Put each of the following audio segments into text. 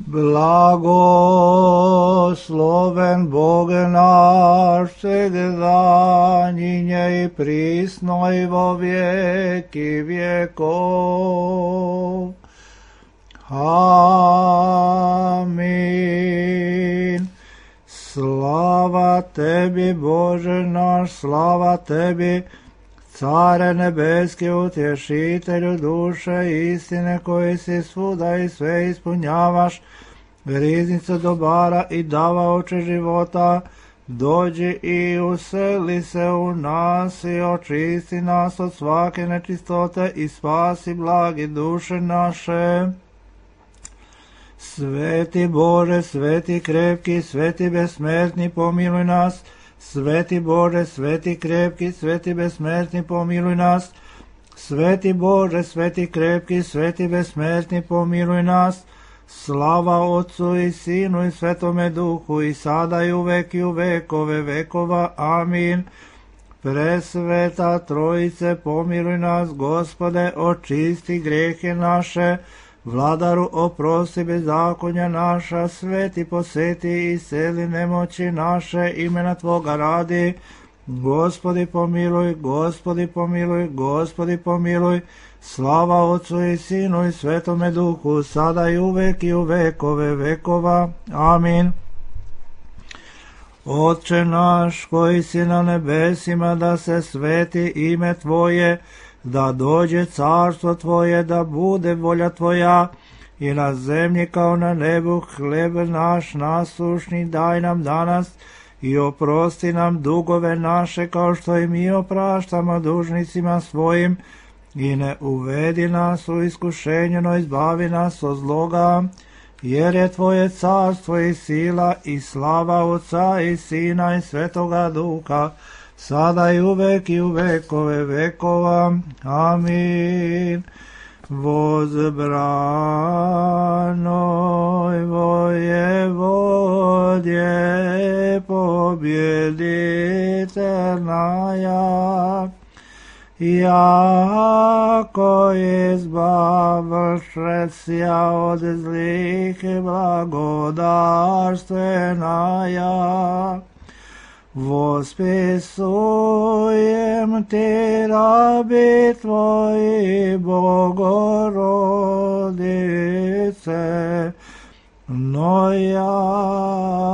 Blagosloven Bog naš, всегда, ныне и присно и во веки веков. Аминь. Слава Теби, Боже наш, слава Теби, Царе nebeski, utješitelju duše istine, koji si svuda i sve ispunjavaš, riznicu dobara i davaoče života, dođi i useli se u nas i očisti nas od svake nečistote i spasi blagi duše naše. Sveti Bože, sveti krepki, sveti besmrtni, pomiluj nas. Sveti Bože, sveti krepki, sveti besmrtni, pomiluj nas. Sveti Bože, sveti krepki, sveti besmrtni, pomiluj nas. Slava Otcu i Sinu i Svetome Duhu, i sada i uvek i u vekove vekova. Amin. Presveta Trojice, pomiluj nas, Gospode, očisti grehe naše. Vladaru, oprosti bezakonja naša, sveti poseti i isceli nemoći naše, imena Tvoga radi. Gospodi pomiluj, Gospodi pomiluj, Gospodi pomiluj. Slava Otcu i Sinu i Svetome Duhu, sada i uvek i u vekove vekova. Amin. Otče naš koji si na nebesima, da se sveti ime Tvoje, da dođe carstvo Tvoje, da bude volja Tvoja i na zemlji kao na nebu. Hljeb naš nasušni daj nam danas i oprosti nam dugove naše kao što i mi opraštamo dužnicima svojim, i ne uvedi nas u iskušenje, no izbavi nas od zloga, jer je Tvoje carstvo i sila i slava Otca i Sina i Svetoga Duha, sada i uvek i u vekove vekova. Amin. Возбранoj воеводje победительная, jako избавившая od zlih и благодарственная. Восписуем Ти, раби Твои, Богородице, но яко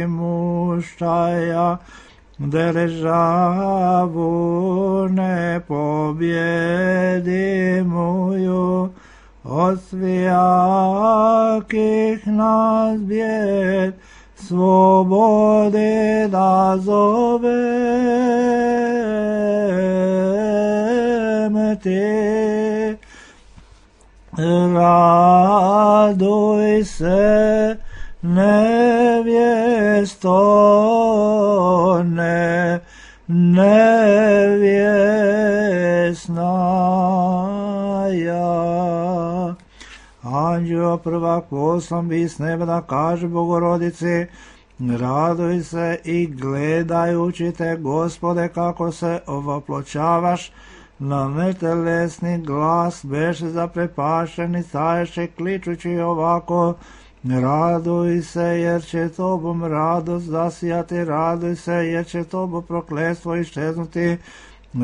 имущая державу непобедимую, от всяких нас бед свободы назовем Ти. Радуйся, невесто, невесная. Anđeo prvak poslan bi s neba da kaže Bogorodici: raduj se i gledajući te, Gospode, kako se ovoploćavaš. Na netelesni glas beše zaprepašeni, staješe kličući ovako: raduj se, jer će Tobom radost zasijati, raduj se, jer će Tobo prokletstvo iščeznuti.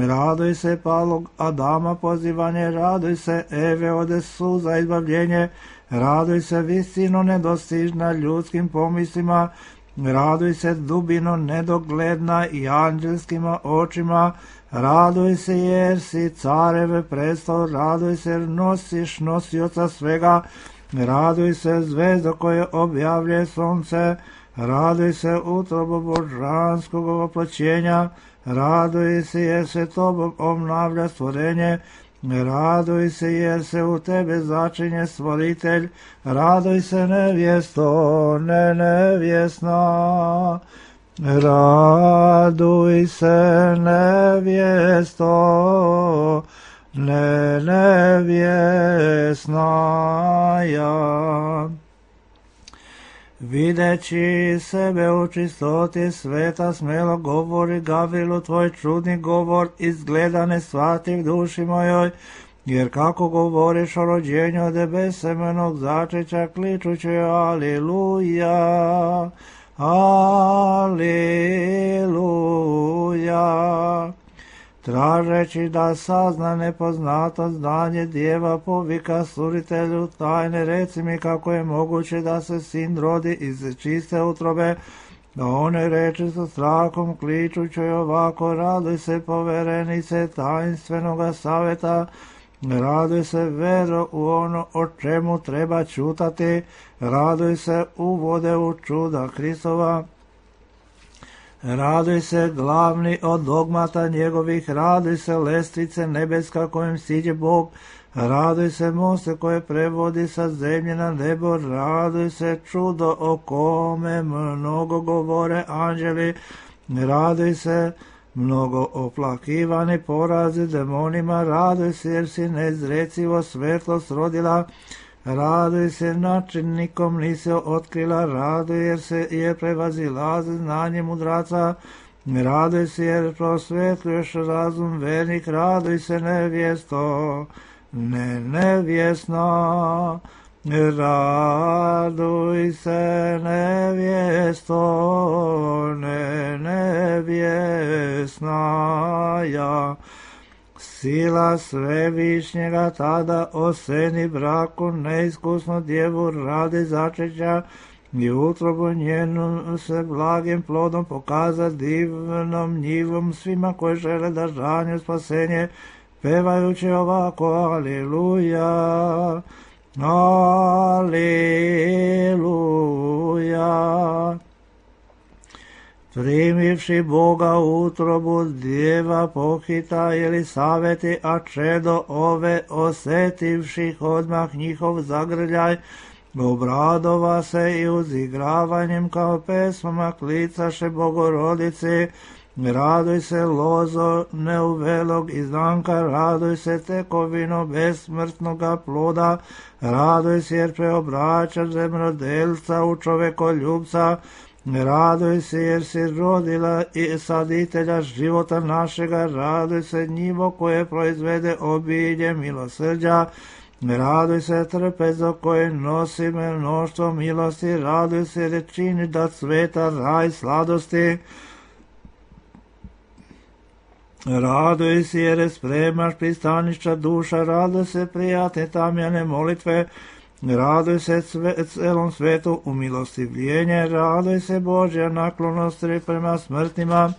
Raduj se, palog Adama pozivanje, raduj se, Eve ode suza izbavljenje, raduj se, visino nedostižna ljudskim pomislima, raduj se, dubino nedogledna i anđelskima očima, raduj se, jer si carev prestol, raduj se, jer nosiš nosioca svega, raduj se, zvezdo koje objavlje sunce, raduj se, utrobo božanskog ovoploćenja, raduj se, jer se Tobom obnavlja stvorenje, raduj se, jer se u Tebe začinje stvoritelj, raduj se, nevjesto, nevjesna, raduj se, nevjesto, nevjesnaja. Videći sebe u čistoti sveta, smelo govori Gavrilu tvoj čudni govor, izgleda ne shvativ duši mojoj, jer kako govoriš o rođenju od besemenog začeća, kličući Aliluja, Aliluja. Tražeći da sazna nepoznato znanje djeva, povika stvoritelju tajne, reci mi kako je moguće da se sin rodi iz čiste utrobe. Da one reči sa strahom kličući ovako, raduj se poverenice tajinstvenoga savjeta, raduj se vero u ono o čemu treba čutati, raduj se uvode u čuda Hristova, raduj se glavni od dogmata njegovih, raduj se lestvice nebeska kojim siđe Bog, raduj se moste koje prevodi sa zemlje na nebo, raduj se čudo o kome mnogo govore anđeli, raduj se mnogo oplakivani porazi demonima, raduj se jer si nezrecivo svetlost rodila, raduj se načinnikom nisi otkrila, raduj jer se je prevazilazi znanje mudraca, raduj se jer prosvetljuješ razum vernik, raduj se nevjesto, nevjesna, raduj se nevjesto, nevjesna ja. Sila svevišnjega tada oseni braku neiskusnu djevu radi začeća i utrobu njenu se blagim plodom pokaza divnom njivom svima koji žele da žanju spasenje, pevajući ovako Aliluja, Aliluja. Primivši Boga utrobu djeva pohita Elisaveti, a čedo ove osetivših odmah njihov zagrljaj, obradova se i uzigravanjem kao pesmama klicaše Bogorodici, raduj se lozo neuvelog izdanka, raduj se tekovino besmrtnoga ploda, raduj se jer preobraćaš zemljodelca u čovekoljubca, raduj se jer si rodila i saditelja života našega, raduj se njivo koje proizvede obilje milosrđa, raduj se trpezo koje nosi mnoštvo milosti, raduj se jer čini da cveta raj sladosti, raduj se jer spremaš pristanišća duša, raduj se prijatne tamjane molitve, raduj se celom svetu umilostivljenje, raduj se Božja naklonost prema smrtnima,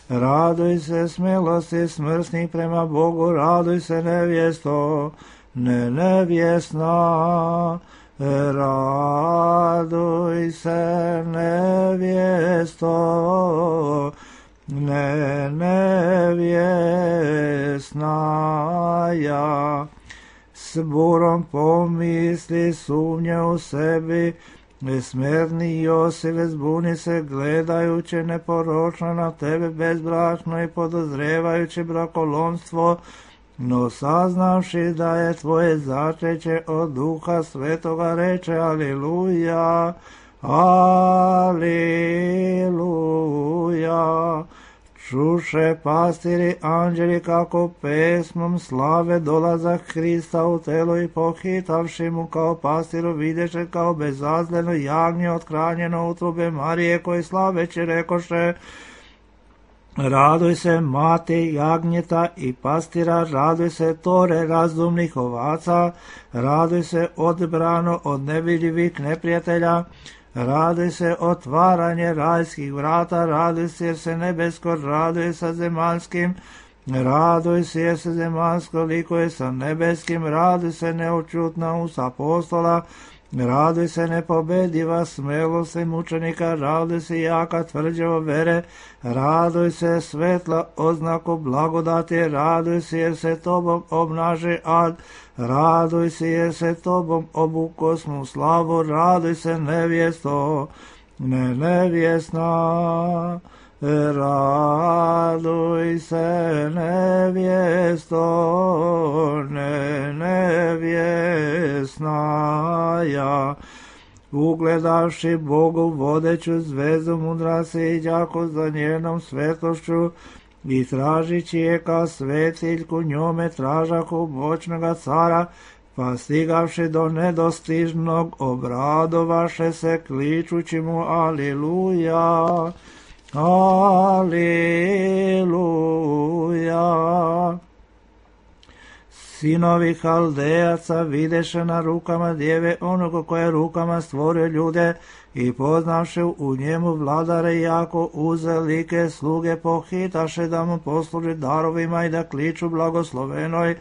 raduj se smelosti smrtnih prema Bogu, raduj se nevjesto, nevjesna, raduj se nevjesto, nevjesna ja. S burom pomisli sumnje u sebi, nesmerni Josive zbuni se gledajući neporočno na tebe bezbrašno i podozrevajući brakolomstvo, no saznavši da je tvoje začeće od Duha Svetoga reče Aliluja, Aliluja. Čuše pastiri anđeli kako pesmom slave dolazak Hrista u telo i pohitavši mu kao pastiru videše kao bezazleno jagnje othranjeno utrobe Marije koji slaveći rekoše, raduj se mati jagnjeta i pastira, raduj se tore razumnih ovaca, raduj se odbrano od nevidljivih neprijatelja, raduj se otvaranje rajskih vrata, raduj se jer se nebesko raduje sa zemaljskim, raduj se jer se zemaljsko likuje sa nebeskim, raduj se neočutna usta apostola, raduj se nepobediva smelost mučenika, raduj se jaka tvrđava vere, raduj se svetla oznaku blagodati, raduj se jer se tobom obnaže ad, raduj se jer se tobom obukosnu slavu, raduj se nevjesto, nevjesna, raduj se nevjesto, nevjesna ja. Ugledavši Bogu vodeću zvezdu mudrasi i đako za njenom svetlošću, i tražići je ka svetiljku njome tražahu moćnoga cara, pa stigavši do nedostižnog obradovaše se kličući mu Aliluja, Aliluja. Sinovi Haldejaca videše na rukama djeve onoga koje rukama stvorio ljude i poznavše u njemu vladare jako uzelike sluge pohitaše da mu posluži darovima i da kliču blagoslovenoj.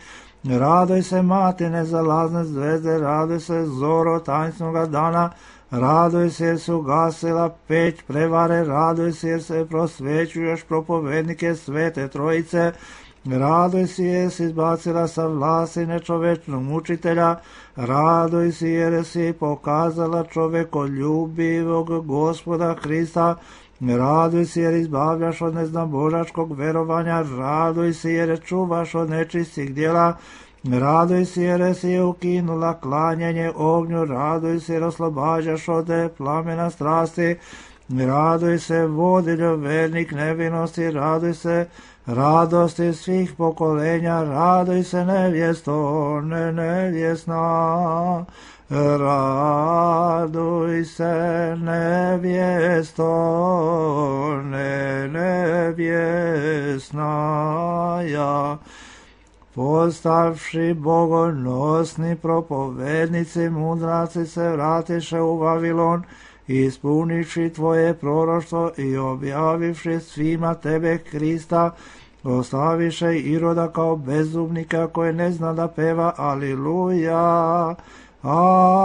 Radoj se mati nezalazne zvezde, radoj se zoro tańcnoga dana, radoj se jer se ugasila peć prevare, radoj se jer se prosvećuješ propovednike svete trojice, radoj se jer si izbacila sa vlasti nečovečnog mučitelja, radoj se jer si pokazala čovekoljubivog Gospoda Hrista, radoj se jer izbavljaš od neznabožačkog verovanja, radoj se jer čuvaš od nečistih djela, radoj se jer si ukinula klanjanje ognju, radoj se jer oslobađaš od plamena strasti, radoj se vodiljo vernik nevinosti, radoj se radosti svih pokolenja, radoj se nevjesto, nevjesna, raduj se nevjesto, nevjesna, ja. Postavši bogonosni propovednici, mudraci se vratiše u Vavilon, ispunivši tvoje proroštvo i objavivši svima tebe Hrista, ostaviše Iroda kao bezumnika koji ne zna da peva Aliluja, Aliluja.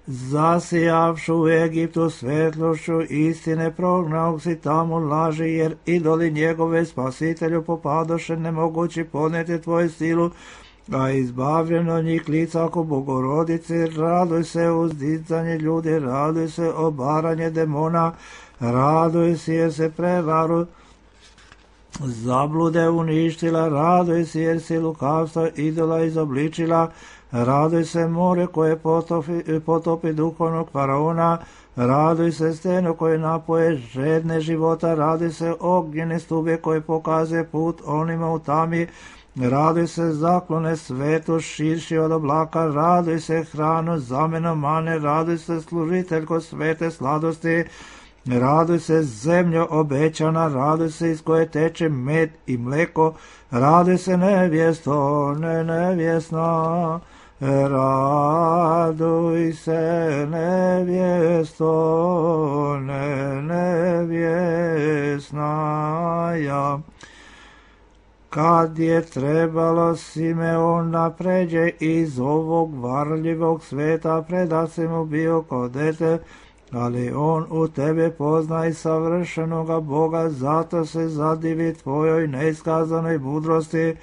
Zasijavšu u Egiptu svetlošću istine, prognaog si tamo laži, jer idoli njegove spasitelju popadoše nemogući podneti tvoju silu, a izbavljeno njih lica oko Bogorodice, raduj se uzdizanje ljudi, raduj se obaranje demona, raduj se jer se prevaru zablude uništila, raduj se jer si lukavstvo idola izobličila, raduj se more koje potopi duhovnog faraona, raduj se steno koje napoje žedne života, raduj se ognjene stube koje pokazuje put onima u tami, raduj se zaklone svetu širši od oblaka, raduj se hranu zameno mane, raduj se služiteljko svete sladosti, raduj se zemljo obećana, raduj se iz koje teče med i mleko, raduj se nevjesto, nevjesna, raduj se nevjesto, nevjesna, ja. Kad je trebalo Simeon da pređe iz ovog varljivog sveta, predat si mu bio kao dete, ali on u tebe pozna i savršenoga Boga, zato se zadivi tvojoj neiskazanoj mudrosti,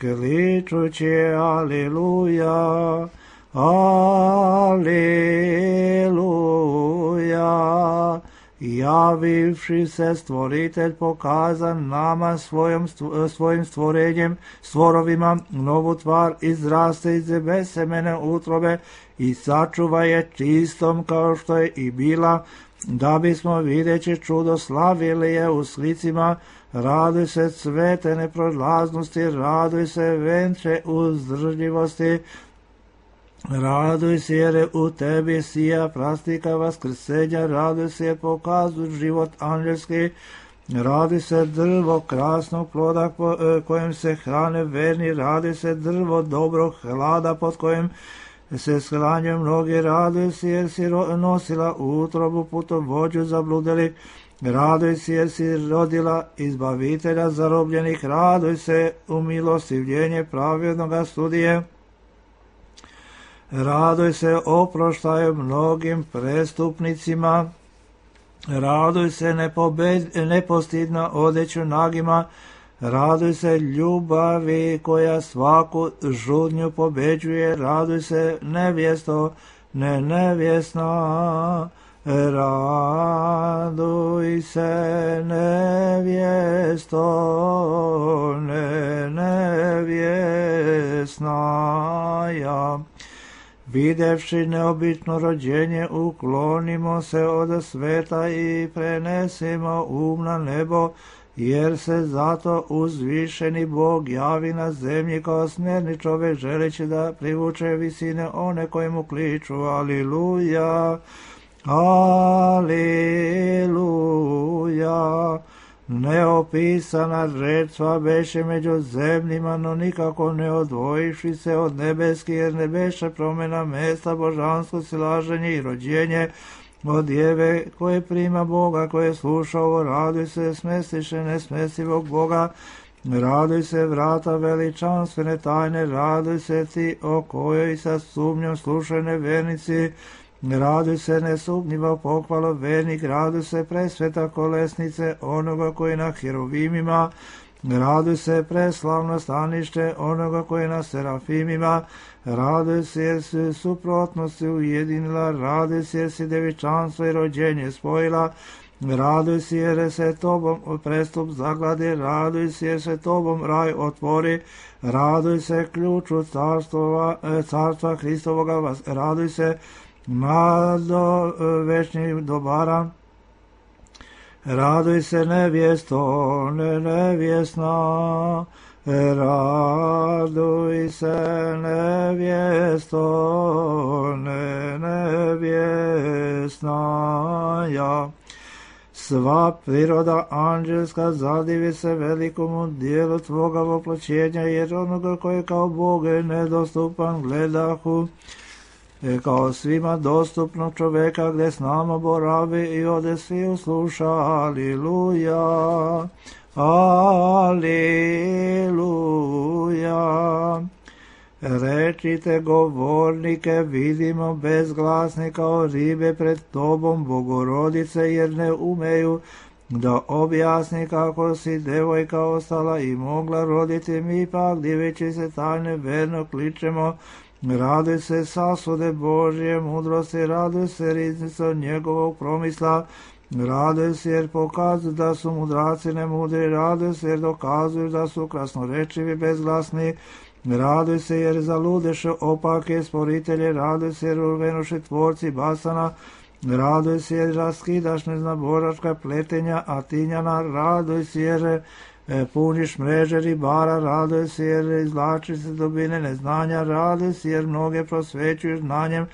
kličući Aliluja, Aliluja. Javivši se stvoritelj pokazan nama svojim stvorenjem, stvorovima novu tvar izraste iz besemene utrobe i sačuva je čistom kao što je i bila, da bismo videći čudo slavili je u slicima. Raduj se cvete neprolaznosti, raduj se venče uzdržljivosti, raduj se jer u tebi sija prastika vaskrsenja, raduj se jer pokazu život anđelski, raduj se drvo krasnog ploda kojem se hrane verni, raduj se drvo dobrog hlada pod kojim se shranjuju mnogi, raduj se jer si nosila utrobu putovođu zabludeli, raduj se jer si rodila izbavitelja zarobljenih, raduj se u milostivljenje pravednoga sudije, raduj se oproštaju mnogim prestupnicima, raduj se nepostidno odeću nagima, raduj se ljubavi koja svaku žudnju pobeđuje, raduj se nevjesto, nevjesna, raduj se nevjesto, nevjesna, ja. Videvši neobično rođenje, uklonimo se od sveta i prenesimo na nebo, jer se zato uzvišeni Bog javi na zemlji kao smjerni čovjek, želeći da privuče visine one koje mu kliču. Aliluja, aliluja. Neopisana žrtva beše među zemljima, no nikako ne odvojiši se od nebeski, jer ne beše promjena mesta, božansko silaženje i rođenje od djeve koje prima Boga, koje sluša ovo. Raduj se, smestiše nesmestivog Boga, raduj se vrata veličanstvene tajne, raduj se ti o kojoj sa sumnjom slušaju nevernici, raduj se nesumnjivo pohvalo vernik, raduj se presveta kolesnice onoga koji na herovimima, raduj se preslavno stanište onoga koji na serafimima, raduj se jer si suprotnosti ujedinila, raduj se jer si devičanstvo i rođenje spojila, raduj se jer se tobom prestup zagladi, raduj se jer se tobom raj otvori, raduj se ključu carstva Hristovoga, raduj se nado večnih dobara, raduj se nevjesto, nevjesna, raduj se nevjesto, nevjesna, ja. Sva priroda anđelska zadivi se velikomu dijelu tvoga voploćenja, jer onoga koji kao Bog je nedostupan gledahu, kao svima dostupnog čoveka gdje s nama boravi i ode svi usluša. Aliluja, aliluja. Rečite govornike, vidimo bezglasni kao ribe pred tobom, Bogorodice, jer ne umeju da objasni kako si devojka ostala i mogla roditi. Mi pak, diveći se tajne, verno kličemo. Raduj se sasude Božje mudrosti, raduj se riznico njegovog promisla, raduj se jer pokazuju da su mudraci nemudri, raduj se jer dokazuju da su krasnorečivi bezglasni, raduj se jer zaludeše opake sporitelje, raduj se jer urvenuše tvorci basana, raduj se jer raskidaš neznaboračka pletenja Atinjana, raduj se jer puniš mreže ribara, raduj se jer izvlači se dubine neznanja, raduj se jer mnoge prosvećuješ znanjem,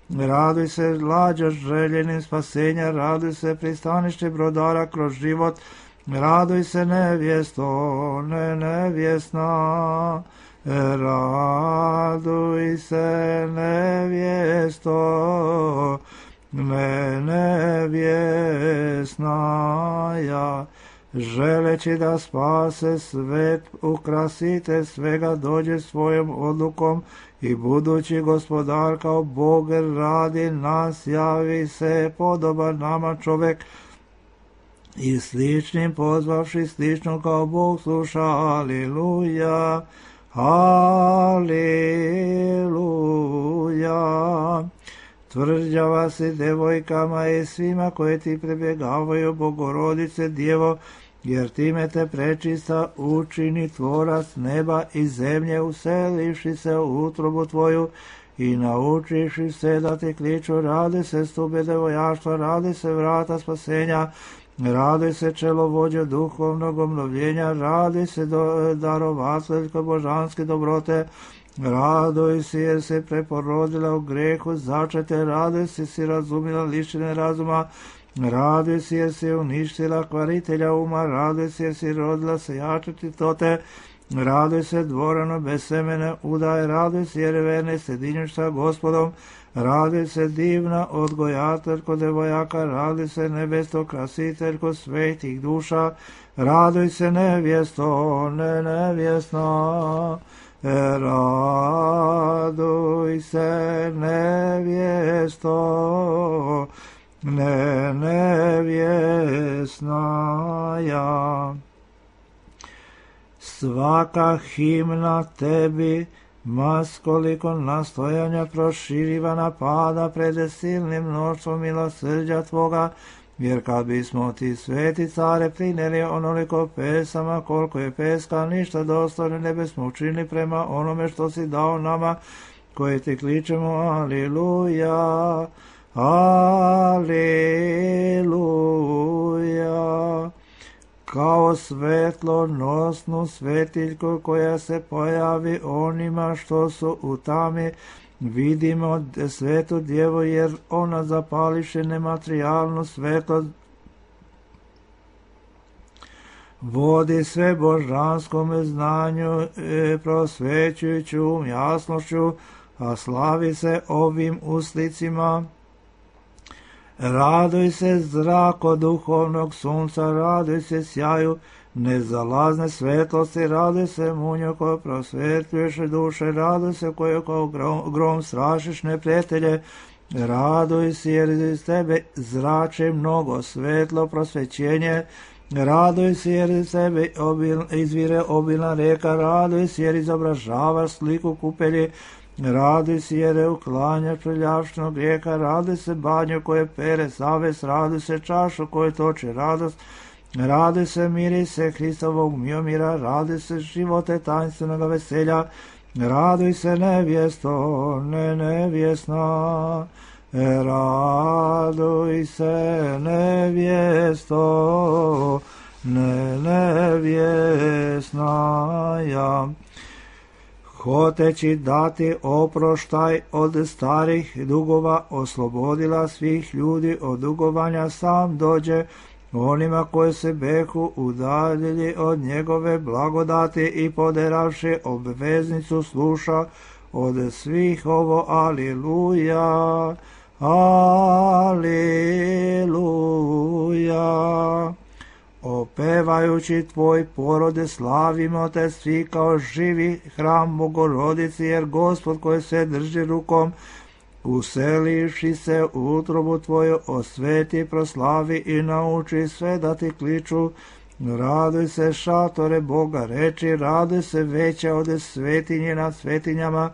raduj se lađaš željenim spasenja, raduj se pristanište brodara kroz život, raduj se nevjesto, nevjesna, raduj se nevjesto, nevjesna, ja. Želeći da spase svet, ukrasite svega, dođe svojom odlukom i budući gospodar kao Bog radi nas, javi se podoban nama čovek i sličnim pozvavši slično kao Bog sluša. Aliluja, aliluja. Tvrđava si devojkama i svima koje ti prebjegavaju, Bogorodice Djevo, jer time te prečista učini tvorac neba i zemlje, uselivši se u utrobu tvoju i naučiši se da ti kliču. Radi se stube devojaštva, radi se vrata spasenja, radi se čelovođe duhovnog obnovljenja, radi se darovateljko božanske dobrote, raduj se jer se preporodila u grehu začete, raduj se si razumila lišine razuma, raduj se jer si uništila kvaritelja uma, raduj se jer si rodila se jačati tote, raduj se dvorano bez semene udaje, raduj se jer verne sjedinjuš sa Gospodom, raduj se divna odgojateljko devojaka, raduj se nebesto krasiteljko svetih duša, raduj se nevjesto, nevjesna, raduj se nevjesto, nevjesna, ja. Svaka himna tebi, mas koliko nastojanja proširivana pada pred silnim mnoštvom milosrđa tvoga, jer kad bismo ti sveti care prineli onoliko pesama koliko je peska, ništa dostojno ne bismo učinili prema onome što si dao nama, koji ti kličemo, aliluja, aliluja. Kao svetlo nosnu svetiljku koja se pojavi onima što su u tami, vidimo svetu djevu, jer ona zapališe nematerijalnu svetlost, vodi sve božanskome znanju, prosvećujuću jasnošću, a slavi se ovim uslicima. Raduj se zrako duhovnog sunca, raduj se sjaju nezalazne svetlosti, raduj se munju koje prosvetljuješ duše, raduj se koje kao grom strašiš neprijatelje, raduj se jer iz tebe zrače mnogo svetlo prosvećenje, raduj se jer iz tebe izvire obilna reka, raduj se jer izobražavaš sliku kupelji, raduj se jer uklanjaš prljavštinu grijeha, raduj se banju koje pere savest, raduj se čašu koje toče radost, raduj se mirise Hristovog miomira, raduj se živote tainstvenog veselja, raduj se nevjesto, ne nevjesna, raduj se nevjesto, ne nevjesna ja. Hoteći dati oproštaj od starih dugova, oslobodila svih ljudi od dugovanja, sam dođe onima koji se behu udaljili od njegove blagodati i poderavši obveznicu sluša od svih ovo, aliluja, aliluja. Opevajući tvoj porode slavimo te svi kao živi hram Bogorodici, jer Gospod koji se drži rukom, uselivši se u utrobu tvoju, osveti, proslavi i nauči sve da ti kliču. Raduj se šatore Boga reči, raduj se veća od svetinje nad svetinjama,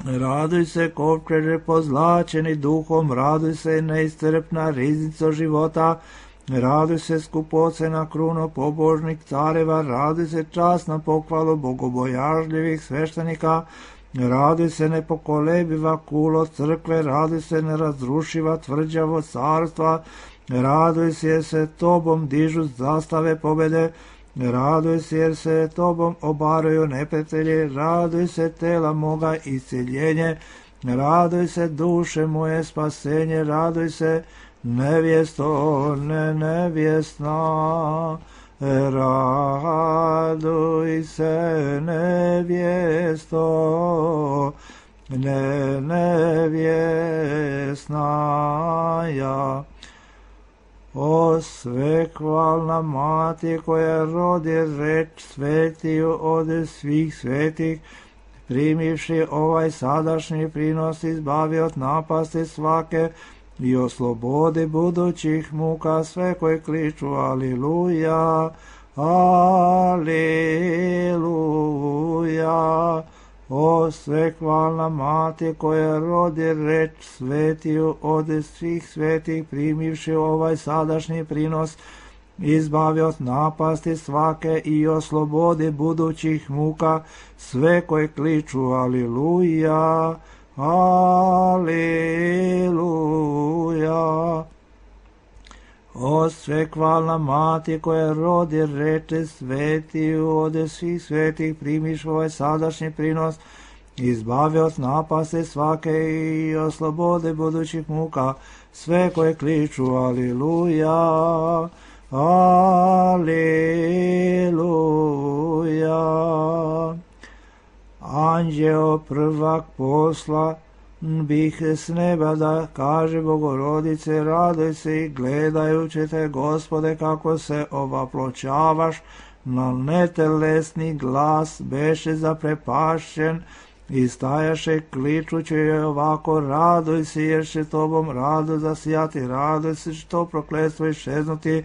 raduj se kovčeže pozlačeni duhom, raduj se neistrpna riznica života, raduj se skupocena kruno pobožnik careva, raduj se časna pohvalu bogobojažljivih sveštenika, raduj se nepokolebiva kulo crkve, raduj se nerazrušiva tvrđavo carstva, raduj se jer se tobom dižu zastave pobede, raduj se jer se tobom obaraju neprijatelji, raduj se tela moga isceljenje, raduj se duše moje spasenje, raduj se nevjesto, ne nevjesna, raduj se nevjesto, ne nevjesna ja. O svekvalna mati koja rodi reč svetiju od svih svetih, primivši ovaj sadašnji prinos, izbavi od napasti svake i oslobodi budućih muka sve koji kliču aliluja, aliluja. O svekvalna mati koja rodi reč svetiju od svih svetih, primivši ovaj sadašnji prinos, izbavi od napasti svake i oslobodi budućih muka sve koji kliču aliluja, aliluja. O svekvalna mati koja rodi reče svetiju od svih svetih, primiš ovaj sadašnji prinos, izbavi od napasti svake i oslobode budućih muka sve koje kliču aliluja, aliluja. Anđeo prvak posla bih s neba da kaže Bogorodice, raduj se i gledajući te, Gospode, kako se ovaploćavaš, na netelesni glas beše zaprepašćen i stajaše kličući joj ovako, raduj se jer će tobom rado zasijati, raduj se što prokletstvo iščeznuti,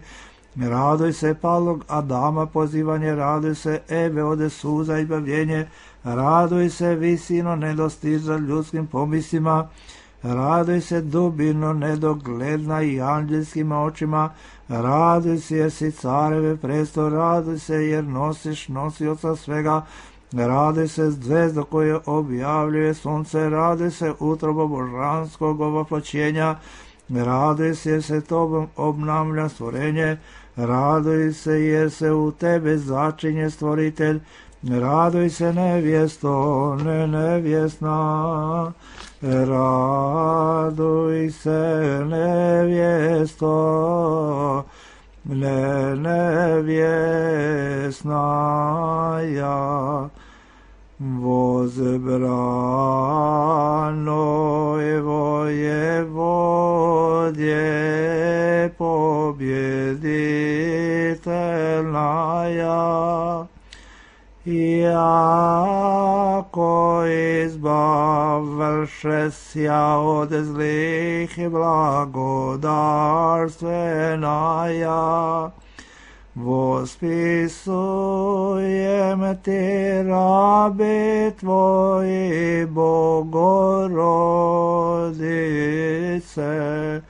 raduj se palog Adama pozivanje, raduj se Eve ode suza i bavljenje, raduj se visino nedostiža ljudskim pomislima, raduj se dubino nedogledna i anđelskim očima, raduj se jer si careve presto, raduj se jer nosiš nosioca svega, Raduj se zvezda koja objavljuje sunce, raduj se utroba božanskog ovoploćenja, raduj se jer se tobom obnavlja stvorenje, raduj se jer se u tebe začinje stvoritelj, raduj se nevjesto, ne nevjesna, raduj se nevjesto, ne nevjesna ja, возбранoj воеводje побjeditelная, jako izbavlšesja od zlih i blagodarstvenaja, vospisujem ti rabi tvoji Bogorodice,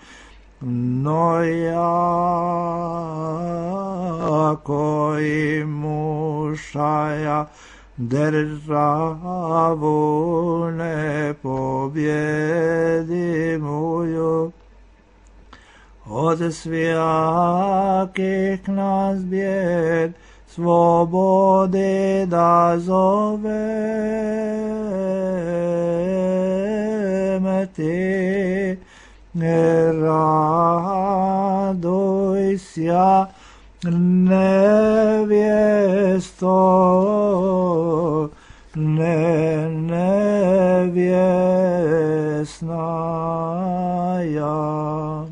no jako i mušaja državu ne pobjedimuju, od svjakih nas bijed slobode da zoveme ti, raduj sja nevjesto, ne nevjesna ja.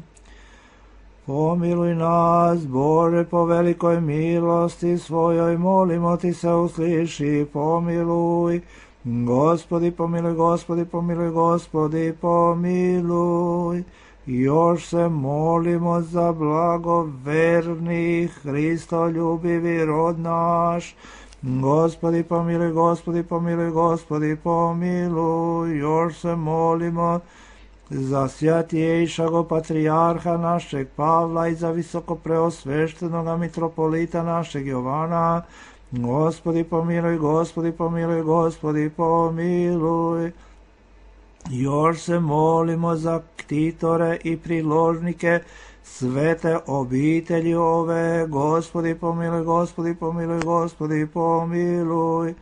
Pomiluj nas, Bože, po velikoj milosti svojoj, molimo ti se usliši, pomiluj. Gospodi, pomiluj, Gospodi, pomiluj, Gospodi, pomiluj. Još se molimo za blagoverni Hristoljubivi rod naš. Gospodi, pomiluj, Gospodi, pomiluj, Gospodi, pomiluj. Još se molimo za svjatijejšago patrijarha našeg Pavla i za visoko preosveštenoga mitropolita našeg Jovana. Gospodi, pomiluj, Gospodi, pomiluj, Gospodi, pomiluj. Još se molimo za ktitore i priložnike svete obitelji ove. Gospodi, pomiluj, Gospodi, pomiluj, Gospodi, pomiluj.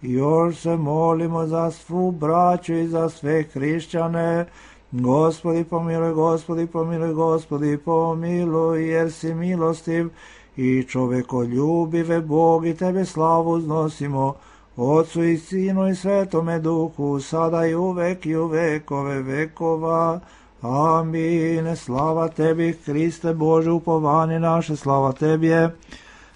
Još se molimo za svu braću i za sve hrišćane. Gospodi, pomiluj, Gospodi, pomiluj, Gospodi, pomiluj, jer si milostiv i čovekoljubive Bog, i tebe slavu uznosimo, Otcu i Sinu i Svetome Duhu, sada i uvek i u vekove vekova. Amin. Slava tebi, Hriste Bože, upovanje naše, slava tebi je.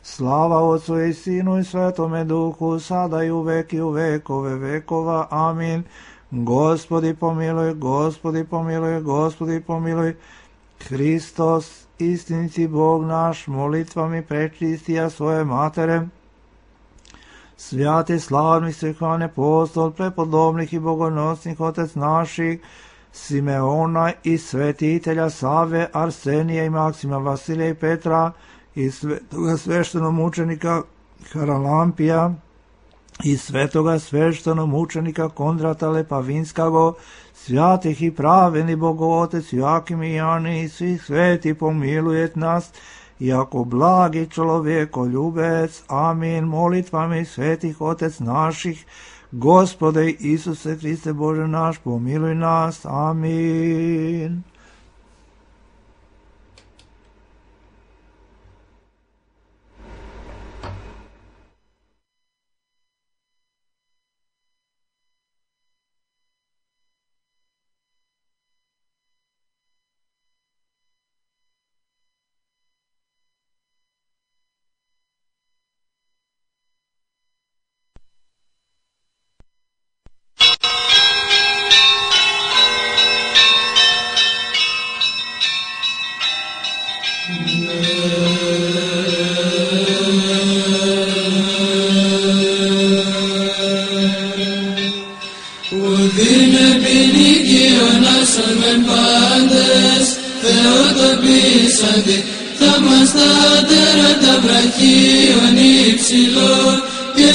Slava Otcu i Sinu i Svetome Duhu, sada i uvek i u vekove vekova. Amin. Gospodi pomiluj, Gospodi pomiluj, Gospodi pomiluj. Hristos, istiniti Bog naš, molitvami prečistija svoje matere, svjati slavni svehlani apostol, prepodobnih i bogonosnih otec naših, Simeona i svetitelja Save, Arsenija i Maksima, Vasilija i Petra, i svetoga sveštenomučenika Haralampija, i svetoga sveštenomučenika Kondrata Lepavinskago, svjatih i praveni Bogootec Joakim i Jani i svih sveti pomilujet nas, jako blagi čovjekoljubec. Amin. Molitvami svetih Otec naših, Gospode Isuse Hriste Bože naš, pomiluj nas. Amin.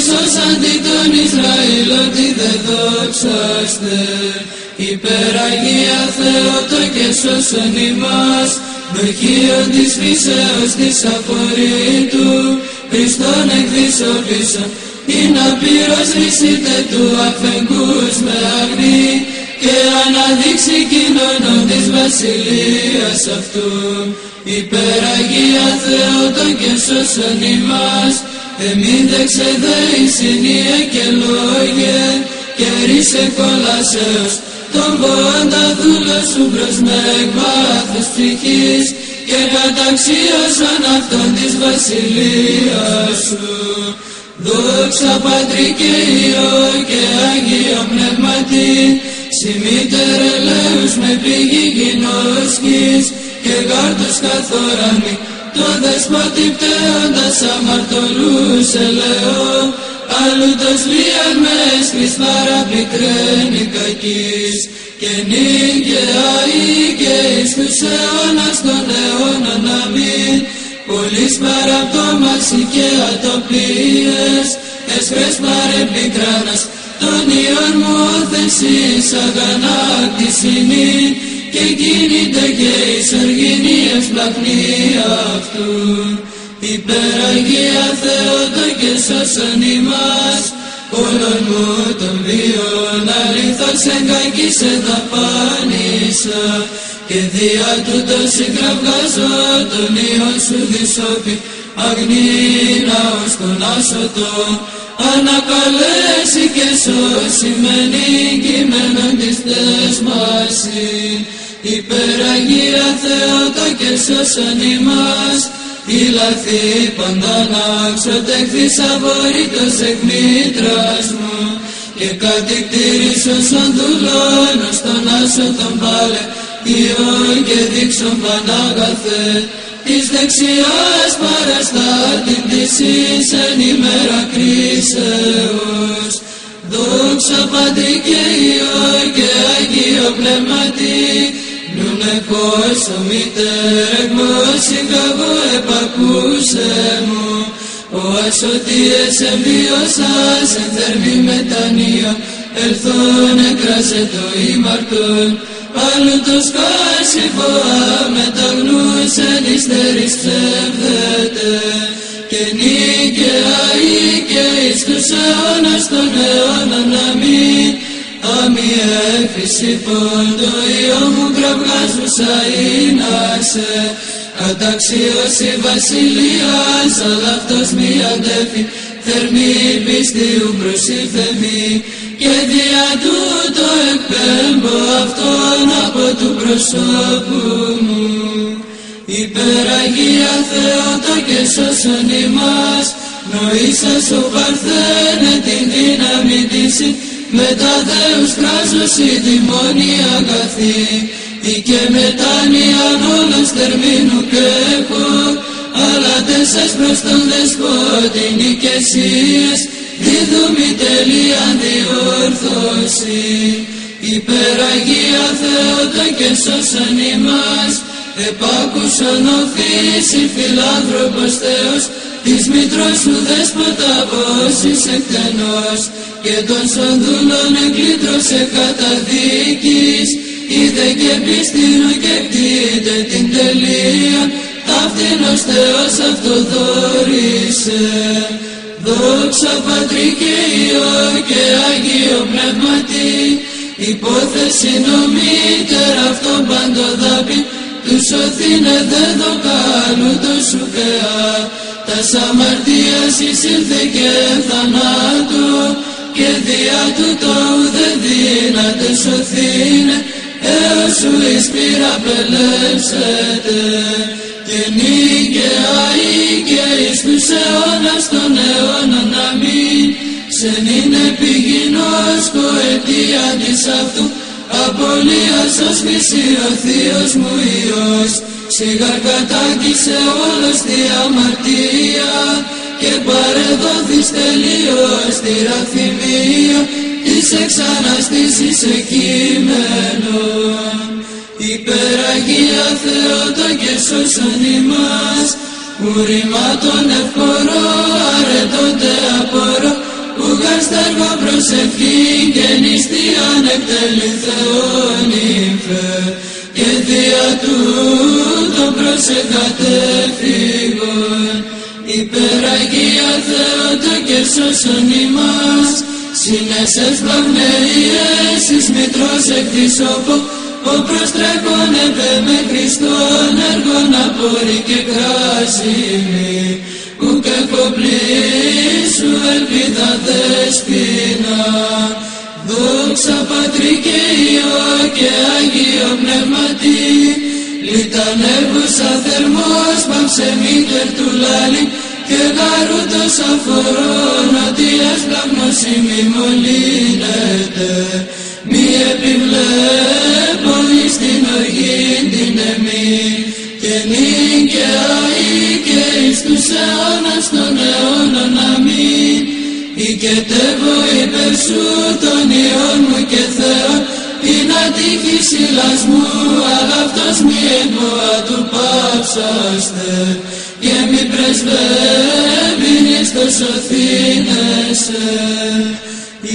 σώσαντι τον Ισραήλ ότι δεν δόξαστε. Υπεραγία Θεότο και σώσον ημάς, δοχείον της φύσεως της αφορήτου, Χριστόν εκδισοπίσον, ή να πυροσβήσετε του αφεγγούς με αγνή, και αναδείξει κοινωνό της βασιλείας αυτού. Υπεραγία Θεότο και σώσον ημάς, εμίδεξε δε η συνία και λόγε, και ρίσε κολάσεως τον πόντα δούλο σου προς με εκβάθος ψυχής, και καταξίωσον αυτόν της βασιλείας σου. Δόξα Πατρί και Υιό και Άγιο Πνεύματι, συμμήτερ ελέους με πηγή γινώσκης, και κάρτους καθόρανη, το δεσπότη πτέοντας αμαρτωλούς ελεώ, αλλούτος λίαν με έσχρις παραπικραίνει κακής, και νίκαια ή και εις τους αιώνας των αιώνων αμήν. Πολλής παραπτώμαση και ατοπίες, έσχρες παρεπικράνας, των ιών μου όθεσης αγανάκτησινήν, και κίνηται και εις οργινή ευσπλαχνία αυτού. Υπεραγία Θεότο και σώσον ημάς, όλων μου των βίων αλήθως εν κακής εδαπάνησα, και δια τούτο συγκραυγάζω τον Υιόν σου δυσόπι, αγνήνα ως τον άσωτο, ανακαλέσει και σώσει με νικημένον της θέσμαση. Υπεραγία Θεότο και σώσον ημάς, η λαθή πάντα να ξοτεχθείς απορρίτως εκ μήτρας μου, και κατηκτήρισον σαν δουλών ως τον άσωτον πάλε, Υιόν και δείξον πανάγαθε, της δεξιάς παραστάτην της εις εν ημέρα κρίσεως. Δόξα Πατρί και Υιό και Άγιο Πνεύματι, νουν εκώσω μητέρ εκμόσι καγώ επακούσε μου, ο ασωτίες εμβίωσας εν θερμή μετανία, ελθόν εκράσε το ήμαρτον, αλλούτος κάσιφο αμεταγνούς εν υστερής ψεύδεται, και νίκαια ή και εις τους αιώνας των αιώνων αμήν. Αμη έφυση πόντο Υιό μου κραυγάζουσα είνασε, καταξίωση βασιλείας, αλλά αυτός μη αντέφη, θερμή πίστιου προσήλθε μη, και δια τούτο εκπέμπω αυτόν από του προσώπου μου. Υπεραγία Θεότο και σώσον ημάς, νοήσας ο παρθένε την δύναμη της, μετά Θεούς κράζος η δημόνια αγαθή, ή και μετάνοιαν όλος τερμήνου και έχω, αλλά τέσσερς προς τον δεσπότη νικεσίες, δίδουμη τελείαν διόρθωση. Υπεραγία Θεότο και σώσον ημάς, επάκουσον ο φύση φιλάνθρωπος Θεός, της μητρός σου δέσποτα πόσης εκτενός, και των σονδούλων εκλήτρωσε καταδίκης, είδε και πίστηνο και κτείτε την τελεία, ταύτηνος Θεός αυτοδόρησε. Δόξα Πατρί και Υιό και Άγιο Πνεύματι, υπόθεση νομίτερ αυτόν παντοδάπη, του σωθήνε δε δοκάλου το σουκεά, τας αμαρτίας εισήλθε και θανάτου, και δια τούτο ουδε δύναται σωθήνε, έως σου εις πύρα πελεύσετε, και νίκαια ή και εις τους αιώνας των αιώνων αμήν. Σεν είναι πηγινός κοαιτία της αυτού, απολίας ως χρυσή ο Θείος μου Υιός, σιγά κατάγγισε όλος τη αμαρτία, και παρεδόθης τελείως τη ραθυμία, της εξαναστήσης εκείμενον. Υπεραγία Θεότο και σώσον ημάς, ουρημάτων ευπορώ, αρετώνται απορώ, αστέργο προσευχήν και νηστείαν εκτελήν Θεόν ύφε και δια τούτο προσεχάτε φύγον. Υπεραγία Θεότο και σώσον ημάς, συνέσες πλαυνείες εις μητρός εκ της όπο, ο προστρέχον επέ με Χριστόν έργον απόρρι και κράσιμη, ουκ εκοπλήσου ελπίδα δεσποινα. Δόξα Πατρί και Υιό και Αγίο Πνεύματι, λιτανεύουσα θερμός παυσεμίτερ του λάλη, και γαρούτος αφορών ότι έσπλαγμος ημί μολύνεται, μη επιβλέπων εις την οργήν την εμή, και νίκαια ή και εις τους αιώνας των αιώνων αμήν. Οικετεύω υπέρ σου των Υιών μου και Θεόν, την ατύχη συλλασμού, αγαυτός μη εμποα του πάψαστε, και μη πρεσβεύειν εις το σωθήνεσαι.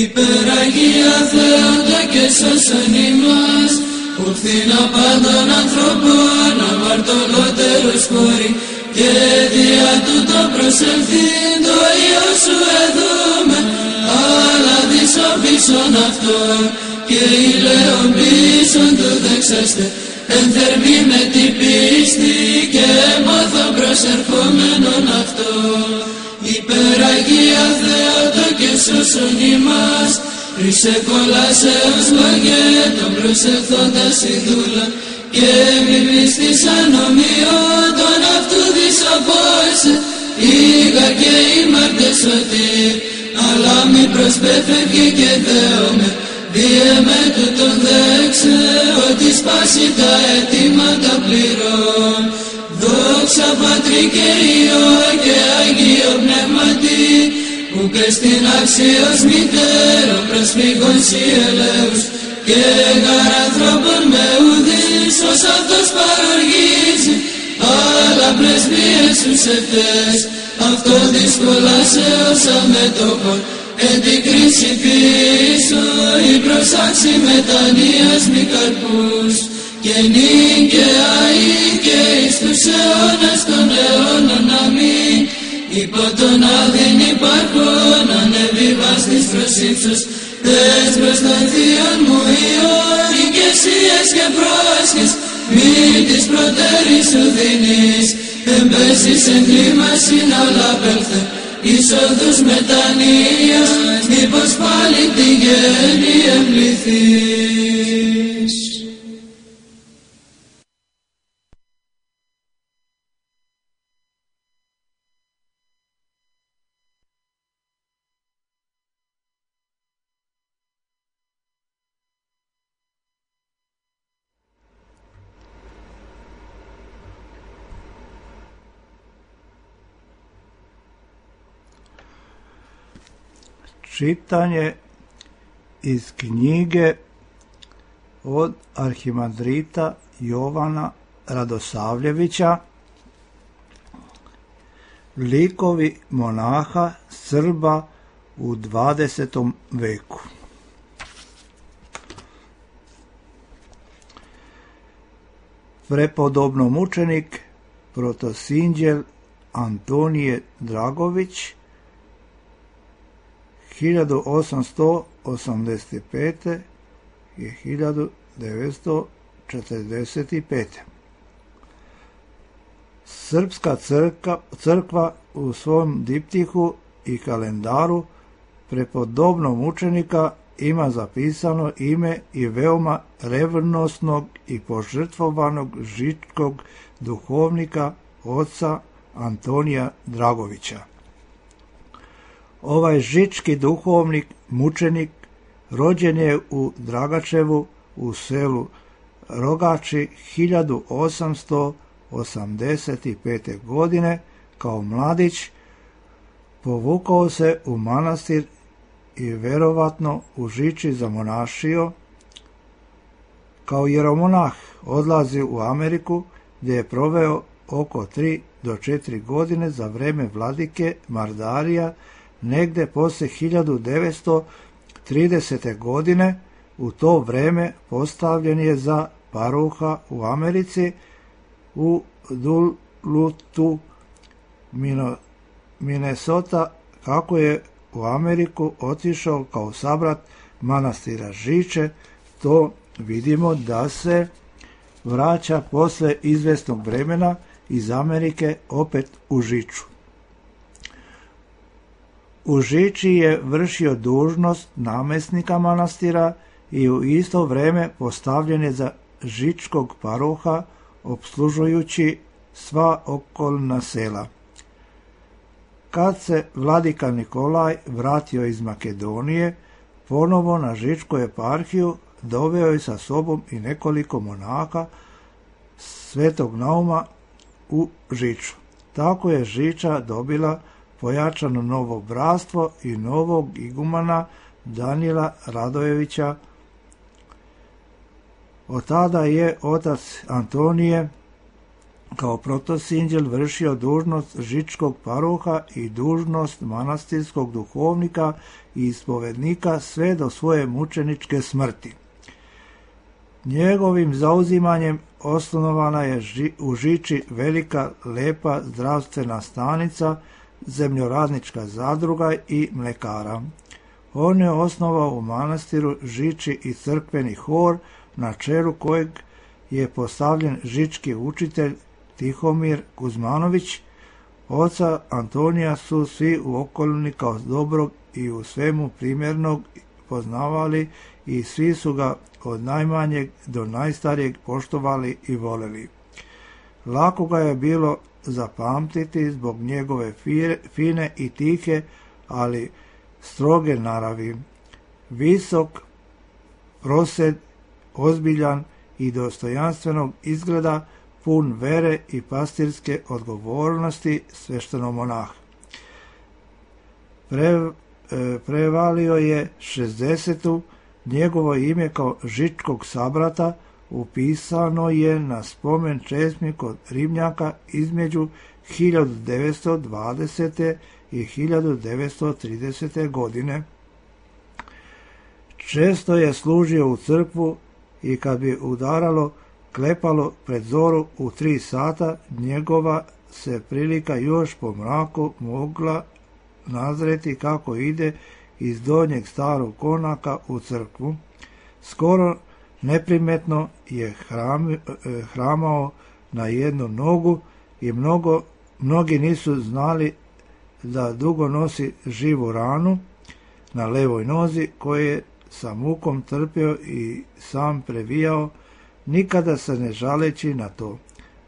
Υπεραγία Θεότα και σώσον ημάς, ουφθήνα πάντων ανθρώπων αμαρτωλότερος χώρη, και δια τούτο προσελθήν το Υιό σου εδούμε, αλλά δισοπίσον αυτόν, και ηλαίων πίσων του δεξάστε, ενθερμή με την πίστη και έμαθο προσερχόμενον αυτό. Υπεραγία Θεότο και σώσον ημάς, ρισε κολάσεως λογέ τον προσεχθόντας η δούλα, και μη μνηστής ανομιών τον αυτού δισοπόησε, ήγα και ήμαρτε σωτήρ, αλλά μη προσπέφευγε και δέομαι, διεμέ του τον δέξε, ότι σπάσει τα αιτήματα πληρών. Δόξα Πατρί και Υιό και Αγίο Πνεύματι, ουκ εστιν αξίως μητέρο προσφύγων σοι ελέους, και γαρ ανθρώπων με ουδείς ως αυτός παροργίζει, αλλά πρεσβείες τους ευτές, αυτό δυσκολάσεως αμετώχων, εν την κρίση πίσω η προσάξη μετανοίας μη καρπούς, και νίκαια ή και εις τους αιώνας των αιώνων αμήν. Υπό τον άδειν υπάρχον ανεβιβάς της προσύψος, τες προς των θείων μου Υιών οικεσίες και πρόσχες, μη της προτέρης σου δίνεις, εμπέσεις εν κλίμασιν αλλά πέλθε, είσοδους μετανοίας, μήπως πάλι τη γέννη εμπληθείς. Čitanje iz knjige od arhimandrita Jovana Radosavljevića, likovi monaha Srba u 20. veku. Prepodobno mučenik protosinđel Antonije Dragović 1885. i 1945. Srpska crkva u svom diptihu i kalendaru prepodobnog mučenika ima zapisano ime i veoma revnosnog i požrtvovanog žičkog duhovnika oca Antonija Dragovića. Ovaj žički duhovnik, mučenik, rođen je u Dragačevu u selu Rogači 1885. godine. Kao mladić povukao se u manastir i verovatno u Žiči zamonašio. Kao jeromonah odlazi u Ameriku gdje je proveo oko 3 do 4 godine za vreme vladike Mardarija negde poslije 1930. godine. U to vreme postavljen je za paruha u Americi u Dulutu, Minnesota, kako je u Ameriku otišao kao sabrat manastira Žiče. To vidimo da se vraća posle izvesnog vremena iz Amerike opet u Žiču. U Žiči je vršio dužnost namjesnika manastira i u isto vrijeme postavljen je za žičkog paruha, opslužujući sva okolna sela. Kad se vladika Nikolaj vratio iz Makedonije, ponovo na žičku eparhiju doveo je sa sobom i nekoliko monaha Svetog Nauma u Žiču. Tako je Žiča dobila pojačano novo bratstvo i novog igumana Danila Radojevića. Od tada je otac Antonije kao protosinđel vršio dužnost žičkog paruha i dužnost manastirskog duhovnika i ispovednika sve do svoje mučeničke smrti. Njegovim zauzimanjem osnovana je u Žiči velika, lepa zdravstvena stanica, zemljoradnička zadruga i mlekara. On je osnovao u manastiru Žiči i crkveni hor, na čelu kojeg je postavljen žički učitelj Tihomir Kuzmanović. Oca Antonija su svi u okolini kao dobrog i u svemu primjernog poznavali i svi su ga od najmanjeg do najstarijeg poštovali i voleli. Lako ga je bilo zapamtiti zbog njegove fine i tihe, ali stroge naravi. Visok, prosed, ozbiljan i dostojanstvenog izgleda, pun vere i pastirske odgovornosti sveštenomonah. Prevalio je 60. Njegovo ime kao žičkog sabrata upisano je na spomen česmi kod Ribnjaka između 1920. i 1930. godine. Često je služio u crkvu i kad bi udaralo klepalo pred zoru u 3 sata, njegova se prilika još po mraku mogla nazreti kako ide iz donjeg starog konaka u crkvu. Skoro neprimetno je hramao na jednu nogu i mnogi nisu znali da dugo nosi živu ranu na levoj nozi koju je sa mukom trpio i sam previjao, nikada se ne žaleći na to.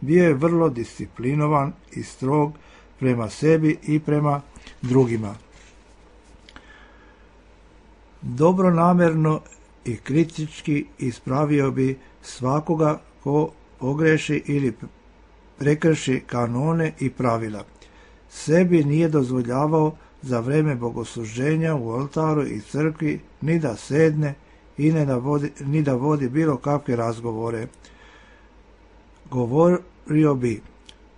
Bio je vrlo disciplinovan i strog prema sebi i prema drugima. Dobronamjerno i kritički ispravio bi svakoga ko pogreši ili prekrši kanone i pravila. Sebi nije dozvoljavao za vreme bogosluženja u oltaru i crkvi ni da sedne i ni da vodi bilo kakve razgovore. Govorio bi,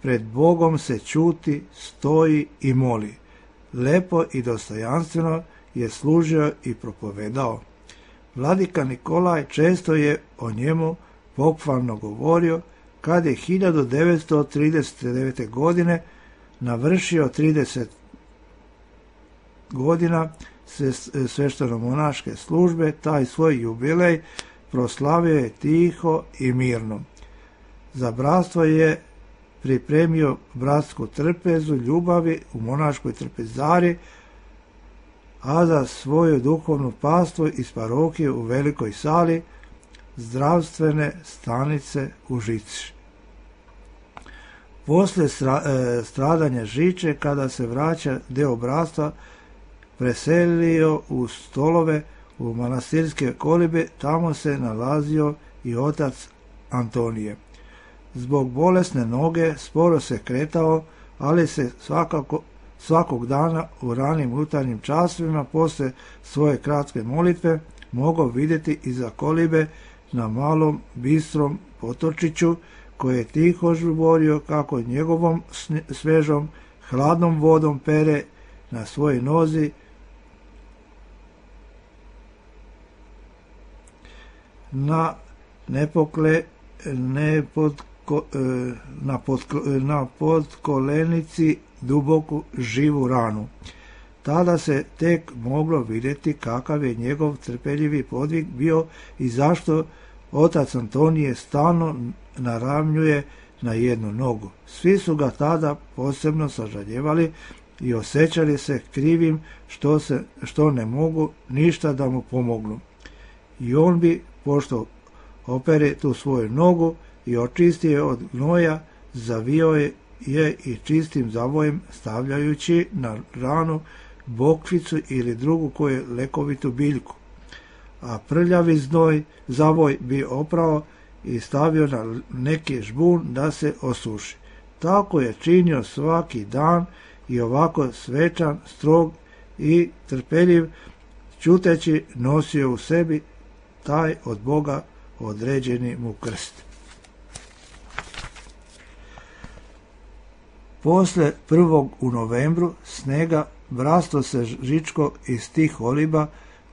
pred Bogom se ćuti, stoji i moli. Lepo i dostojanstveno je služio i propovedao. Vladika Nikolaj često je o njemu pohvalno govorio. Kad je 1939. godine navršio 30 godina svešteno-monaške službe, taj svoj jubilej proslavio je tiho i mirno. Za bratstvo je pripremio bratsku trpezu ljubavi u monaškoj trpezari, a za svoju duhovnu pastvu iz parohije u Velikoj sali zdravstvene stanice u Žici. Poslije stradanja Žiče, kada se vraća deo bratstva, preselio u Stolove u manastirske kolibe, tamo se nalazio i otac Antonije. Zbog bolesne noge sporo se kretao, ali se svakog dana u ranim jutarnjim časovima poslije svoje kratke molitve mogao vidjeti iza kolibe na malom bistrom potočiću koji je tiho žuborio kako njegovom svežom hladnom vodom pere na svojoj nozi na podkolenici duboku živu ranu. Tada se tek moglo vidjeti kakav je njegov trpeljivi podvig bio i zašto otac Antonije stalno naravnjuje na jednu nogu. Svi su ga tada posebno sažaljevali i osjećali se krivim što ne mogu ništa da mu pomognu. I on bi, pošto opere tu svoju nogu i očisti je od gnoja, zavio je i čistim zavojem stavljajući na ranu bokvicu ili drugu koju lekovitu biljku, a prljavi zavoj bi oprao i stavio na neki žbun da se osuši. Tako je činio svaki dan i ovako svečan, strog i trpeljiv, ćuteći nosio u sebi taj od Boga određeni mu krst. Posle 1. u novembru snega bratstvo se Žičko iz tih oliba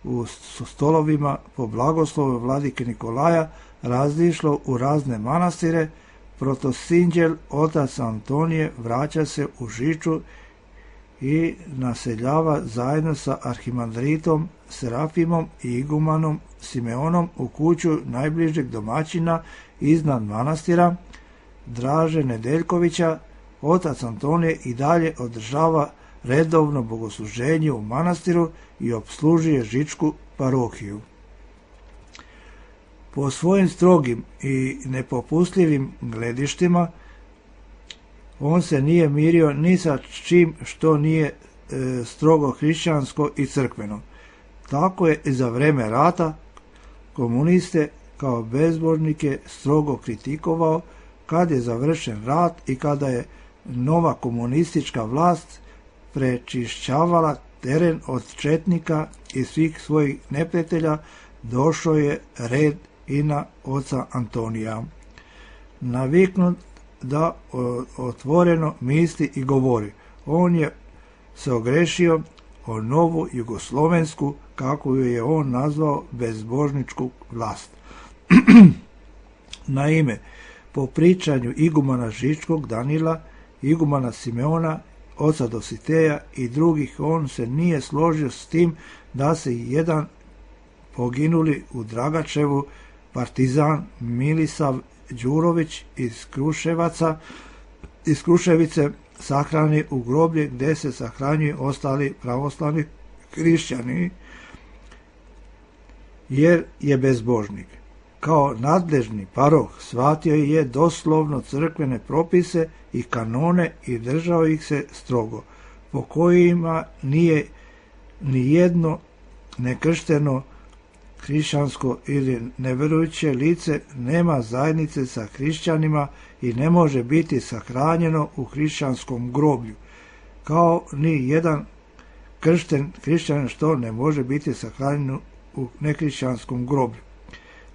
u stolovima po blagoslovu vladike Nikolaja razišlo u razne manastire. Protosinđel otac Antonije vraća se u Žiču i naseljava zajedno sa arhimandritom Serafimom i igumanom Simeonom u kuću najbližeg domaćina iznad manastira Draže Nedeljkovića. Otac Antonije i dalje održava redovno bogosluženje u manastiru i opslužuje Žičku parohiju. Po svojim strogim i nepopustljivim gledištima on se nije mirio ni sa čim što nije strogo hrišćansko i crkveno. Tako je i za vreme rata komuniste kao bezbožnike strogo kritikovao. Kad je završen rat i kada je nova komunistička vlast prečišćavala teren od četnika i svih svojih neprijatelja, došao je red i na oca Antonija. Naviknut da otvoreno misli i govori, on je se ogrešio o novu jugoslovensku, kako ju je on nazvao, bezbožničku vlast. Naime, po pričanju igumana Žičkog Danila, igumana Simeona, oca Dositeja i drugih, on se nije složio s tim da se jedan poginuli u Dragačevu partizan Milisav Đurović iz Kruševice sahrani u groblje gdje se sahranjuju ostali pravoslavni hrišćani, jer je bezbožnik. Kao nadležni paroh shvatio je doslovno crkvene propise i kanone i držao ih se strogo, po kojima nije ni jedno nekršteno hrišćansko ili neverujuće lice nema zajednice sa hrišćanima i ne može biti sahranjeno u hrišćanskom groblju, kao ni jedan kršten hrišćanin što ne može biti sahranjen u nehrišćanskom groblju.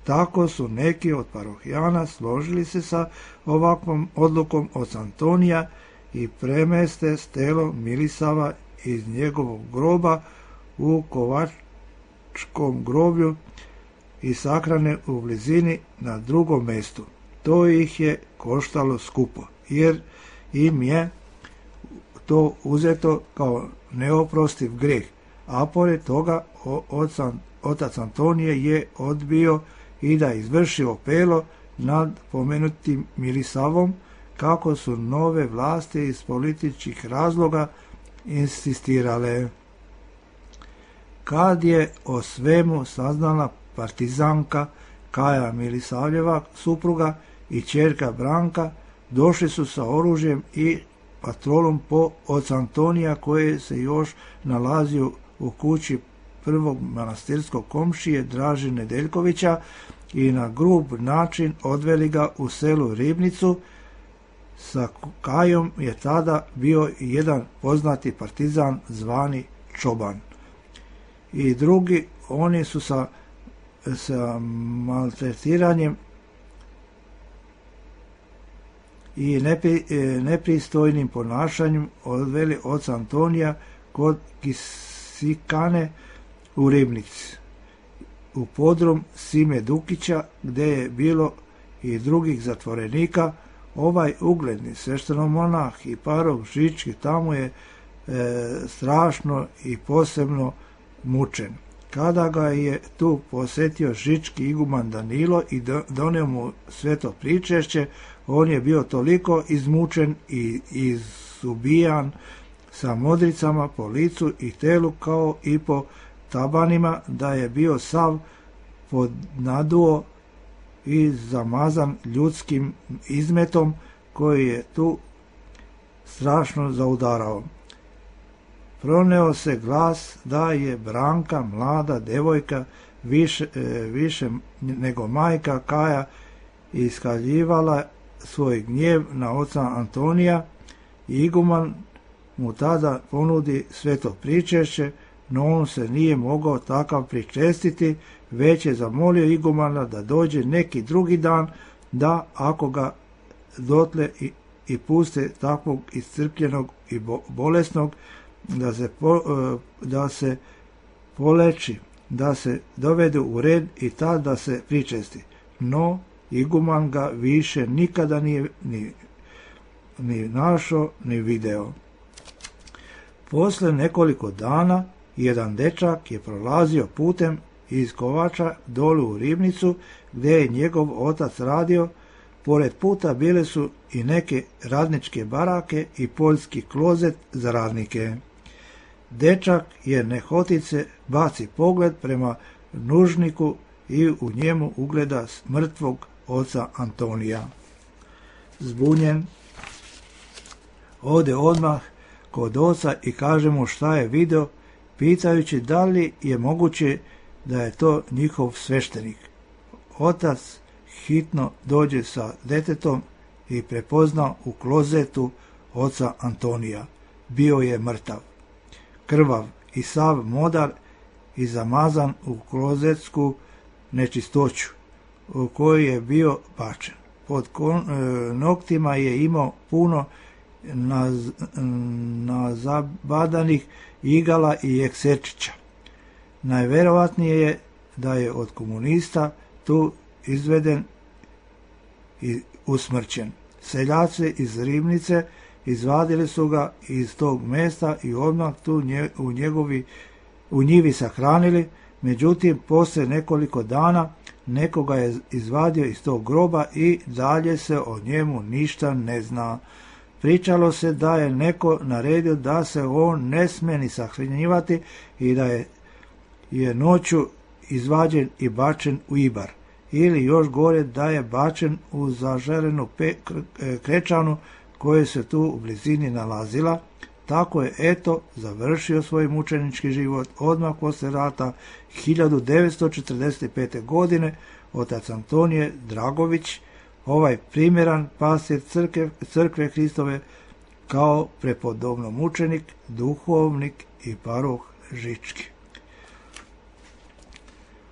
Tako su neki od parohijana složili se sa ovakvom odlukom od Antonija i premeste stelo Milisava iz njegovog groba u Kovačkom groblju i sahrane u blizini na drugom mjestu. To ih je koštalo skupo, jer im je to uzeto kao neoprostiv greh, a pored toga otac Antonije je odbio i da izvrši opelo nad pomenutim Milisavom, kako su nove vlasti iz političkih razloga insistirale. Kad je o svemu saznala partizanka Kaja Milisavljeva supruga i ćerka Branka, došli su sa oružjem i patrolom po oca Antonija, koji se još nalazio u kući prvog manastirskog komšije Draže Nedeljkovića, i na grub način odveli ga u selu Ribnicu. Sa Kajom je tada bio jedan poznati partizan zvani Čoban. I drugi, oni su sa maltretiranjem i nepristojnim ponašanjem odveli oca Antonija, kod Kisikane u Ribnici, u podrum Sime Dukića, gdje je bilo i drugih zatvorenika. Ovaj ugledni sveštenomonah i paroh Žički tamo je strašno i posebno mučen. Kada ga je tu posjetio Žički iguman Danilo i donio mu sveto pričešće, on je bio toliko izmučen i izubijan sa modricama po licu i telu kao i po tabanima, da je bio sav podnaduo i zamazan ljudskim izmetom koji je tu strašno zaudarao. Proneo se glas da je Branka, mlada devojka, više nego majka Kaja, iskaljivala svoj gnjev na oca Antonija. Iguman mu tada ponudi sveto pričešće, no on se nije mogao takav pričestiti, već je zamolio igumana da dođe neki drugi dan, da ako ga dotle i puste takvog iscrpljenog i bolesnog, da se poleči, da se dovede u red i tad da se pričesti. No, iguman ga više nikada nije ni našao, ni video. Posle nekoliko dana, jedan dečak je prolazio putem iz Kovača dolu u Ribnicu, gdje je njegov otac radio. Pored puta bile su i neke radničke barake i poljski klozet za radnike. Dečak je nehotice baci pogled prema nužniku i u njemu ugleda mrtvog oca Antonija. Zbunjen, ode odmah kod oca i kaže mu šta je video, pitajući da li je moguće da je to njihov sveštenik. Otac hitno dođe sa detetom i prepozna u klozetu oca Antonija. Bio je mrtav, krvav i sav modar i zamazan u klozetsku nečistoću u kojoj je bio bačen. Pod noktima je imao puno nazabadanih igala i ekserčića. Najverovatnije je da je od komunista tu izveden i usmrćen. Seljaci iz Ribnice izvadili su ga iz tog mesta i odmah tu u njivi sahranili, međutim posle nekoliko dana nekoga je izvadio iz tog groba i dalje se o njemu ništa ne zna. Pričalo se da je neko naredio da se on ne sme ni sahranjivati i da je noću izvađen i bačen u Ibar, ili još gore da je bačen u zažarenu krečanu koja se tu u blizini nalazila. Tako je eto završio svoj mučenički život odmah posle rata 1945. godine otac Antonije Dragović, ovaj primjeran pastir crkve Hristove, kao prepodobno mučenik, duhovnik i paroh Žički.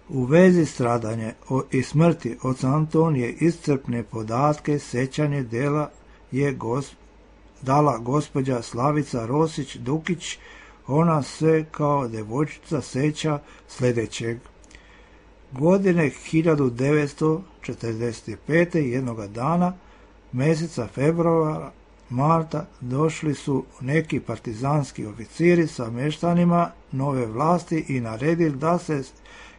U vezi stradanja i smrti oca Antonije iscrpne podatke sećanje dala gospođa Slavica Rosić Dukić. Ona se kao devojčica seća sljedećeg. Godine 1945. jednoga dana, mjeseca februara, marta, došli su neki partizanski oficiri sa meštanima nove vlasti i naredili da se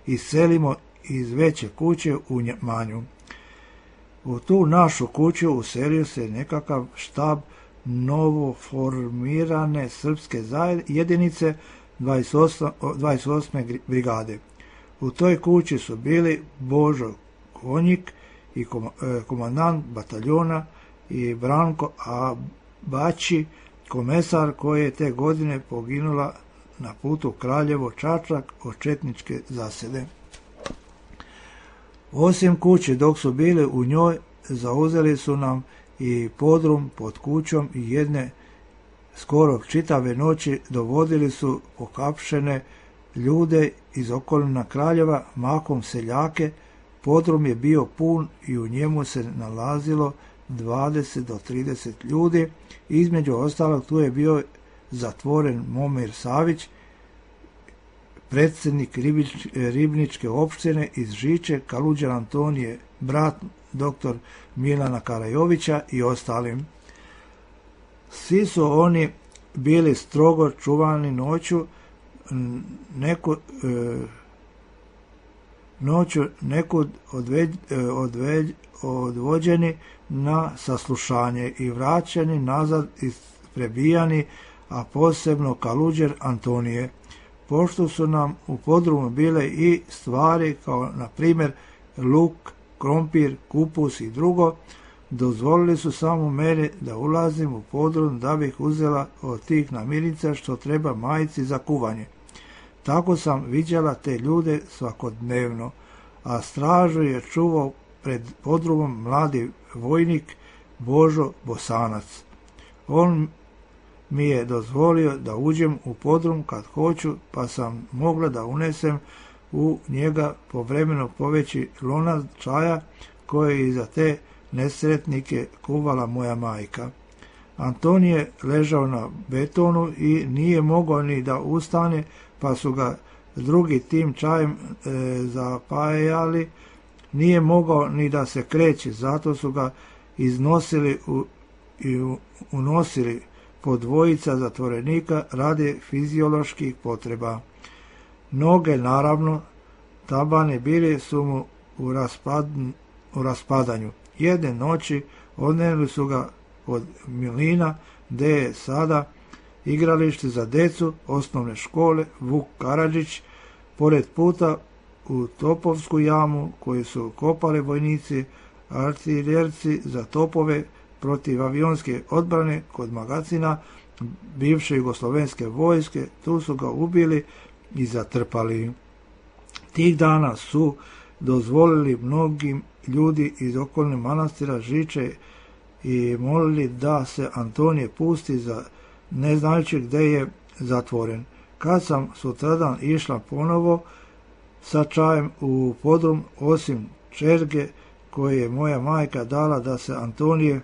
iselimo iz veće kuće u Manju. U tu našu kuću uselio se nekakav štab novoformirane srpske jedinice 28. brigade. U toj kući su bili Božo Konjik i komandant bataljona i Branko Baći, komesar koji je te godine poginula na putu Kraljevo-Čačak od četničke zasede. Osim kuće, dok su bili u njoj, zauzeli su nam i podrum pod kućom i jedne skoro čitave noći dovodili su pokapšene ljude iz okolina Kraljeva, mahom seljake. Podrum je bio pun i u njemu se nalazilo 20 do 30 ljudi. Između ostalog tu je bio zatvoren Momir Savić, predsjednik Ribničke opštine iz Žiče, Kaluđer Antonije, brat dr. Milana Karajovića i ostalim. Svi su oni bili strogo čuvani noću, nekud odvođeni na saslušanje i vraćani nazad prebijani, a posebno Kaluđer Antonije. Pošto su nam u podrumu bile i stvari kao na primjer luk, krompir, kupus i drugo, dozvolili su samo meni da ulazim u podrum da bih uzela od tih namirnica što treba majici za kuvanje. Tako sam viđala te ljude svakodnevno, a stražu je čuvao pred podrumom mladi vojnik Božo Bosanac. On mi je dozvolio da uđem u podrum kad hoću, pa sam mogla da unesem u njega povremeno poveći lonac čaja koje je iza te nesretnike kuvala moja majka. Antonije ležao na betonu i nije mogao ni da ustane, pa su ga drugi tim čajem zapajali. Nije mogao ni da se kreće, zato su ga iznosili i unosili po dvojica zatvorenika radi fizioloških potreba. Noge, naravno, tabane bili su mu u raspadanju. Jedne noći odnijeli su ga od Milina, gde je sada igralište za decu osnovne škole Vuk Karadžić, pored puta u Topovsku jamu koju su kopali vojnici, artiljerci za topove protiv avionske odbrane kod magacina bivše jugoslovenske vojske. Tu su ga ubili i zatrpali. Tih dana su dozvolili mnogim ljudi iz okolnih manastira Žiče i molili da se Antonije pusti, ne znajući gde je zatvoren. Kad sam sutradan išla ponovo sa čajem u podrum, osim čerge koje je moja majka dala da se Antonije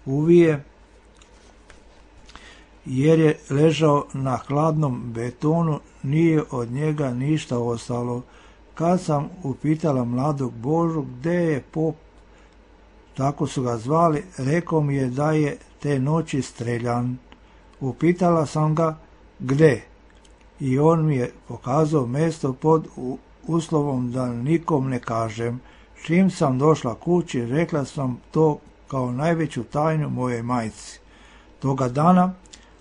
uvije, jer je ležao na hladnom betonu, nije od njega ništa ostalo. Kad sam upitala mladog Božu gde je pop, tako su ga zvali, rekao mi je da je te noći streljan. Upitala sam ga gde i on mi je pokazao mesto pod uslovom da nikom ne kažem. Čim sam došla kući, rekla sam to kao najveću tajnu mojoj majci. Toga dana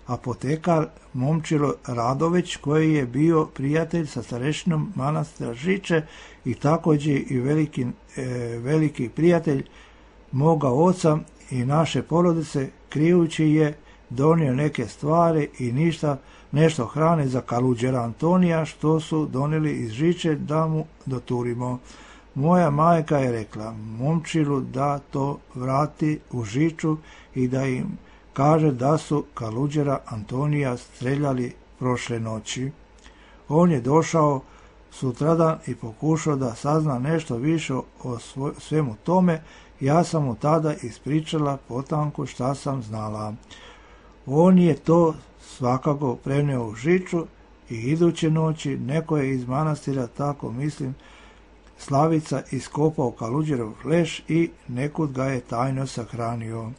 apotekar Momčilo Radović, koji je bio prijatelj sa starešinom manastira Žiče i također i veliki prijatelj moga oca i naše porodice, krijući je donio neke stvari i nešto hrane za Kaluđera Antonija što su donijeli iz Žiče da mu doturimo. Moja majka je rekla Momčilu da to vrati u Žiču i da im kaže da su Kaluđera Antonija streljali prošle noći. On je došao sutradan i pokušao da sazna nešto više o svemu tome. Ja sam mu tada ispričala potanko šta sam znala. On je to svakako preneo u Žiču i iduće noći neko je iz manastira, tako mislim, Slavica, iskopao Kaluđerov leš i nekud ga je tajno sahranio.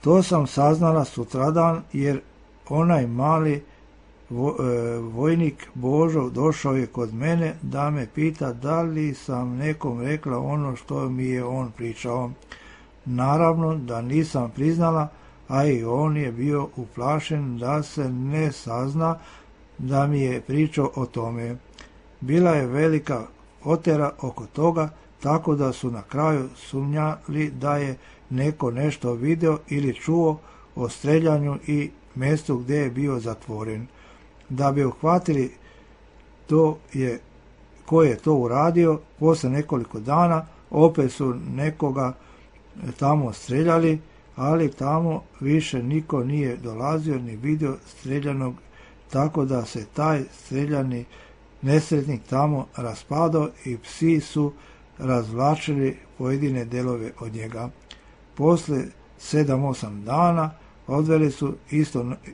To sam saznala sutradan, jer onaj mali vojnik Božo došao je kod mene da me pita da li sam nekom rekla ono što mi je on pričao. Naravno da nisam priznala, a i on je bio uplašen da se ne sazna da mi je pričao o tome. Bila je velika otera oko toga, tako da su na kraju sumnjali da je neko nešto video ili čuo o streljanju i mjestu gdje je bio zatvoren. Da bi uhvatili ko je to uradio, posle nekoliko dana opet su nekoga tamo streljali, ali tamo više niko nije dolazio ni vidio streljanog, tako da se taj streljani nesretnik tamo raspadao i psi su razvlačili pojedine delove od njega. Posle 7-8 dana. Odveli su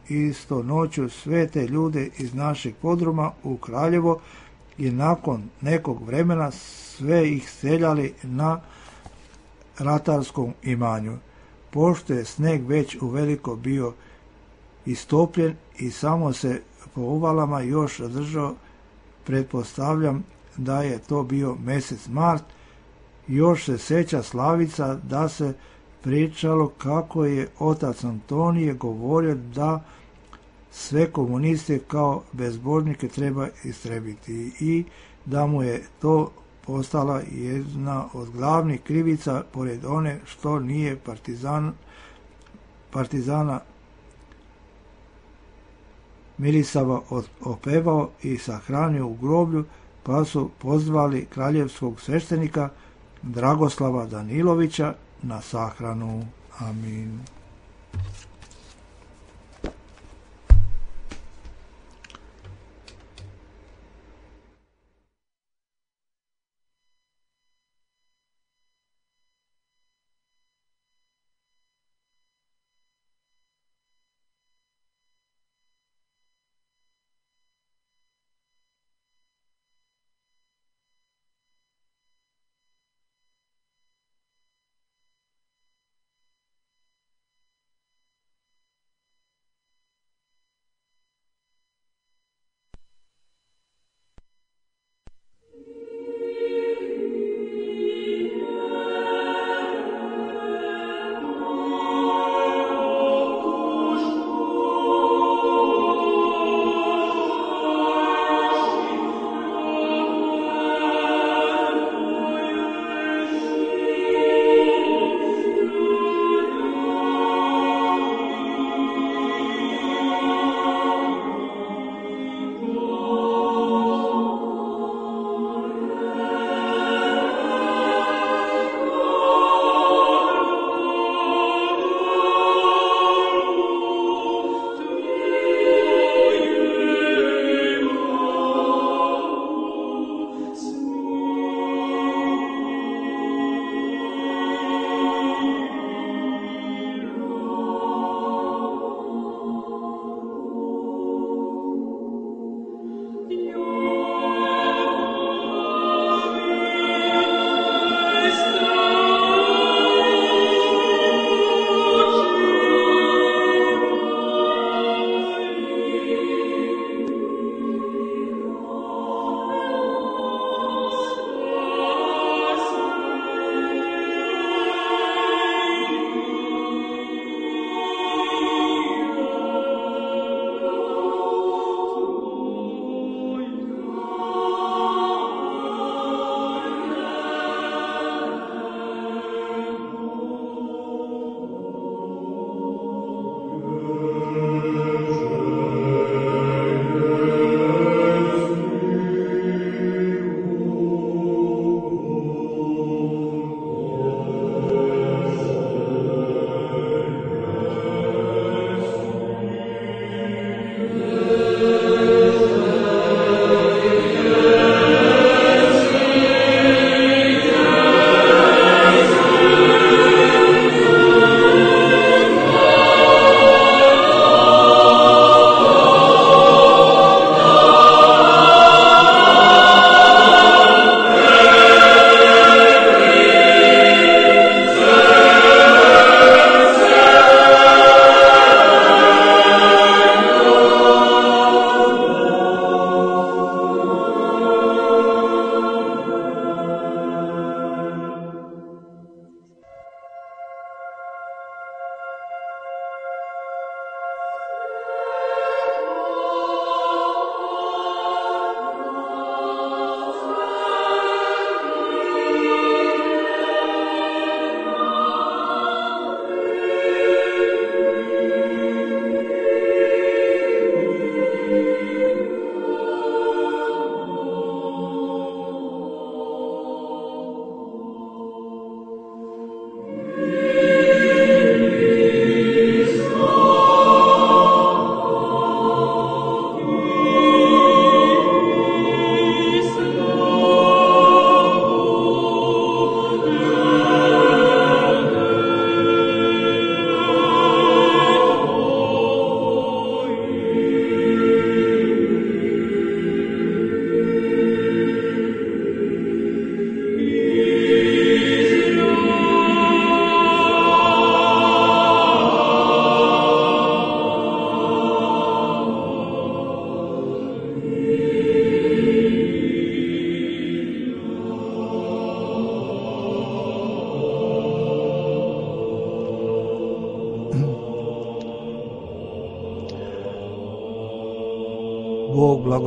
isto noću sve te ljude iz našeg podruma u Kraljevo i nakon nekog vremena sve ih seljali na ratarskom imanju. Pošto je sneg već uveliko bio istopljen i samo se po uvalama još držao, pretpostavljam da je to bio mjesec mart. Još se sjeća Slavica da se pričalo kako je otac Antonije govorio da sve komuniste kao bezbožnike treba istrebiti i da mu je to postala jedna od glavnih krivica pored one što nije partizana Mirisava opevao i sahranio u groblju, pa su pozvali kraljevskog sveštenika Dragoslava Danilovića na sahranu. Amin.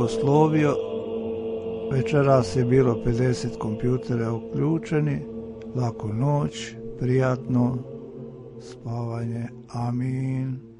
blagoslovio. Večeras je bilo 50 kompjutera uključeni. Laku noć, prijatno spavanje. Amin.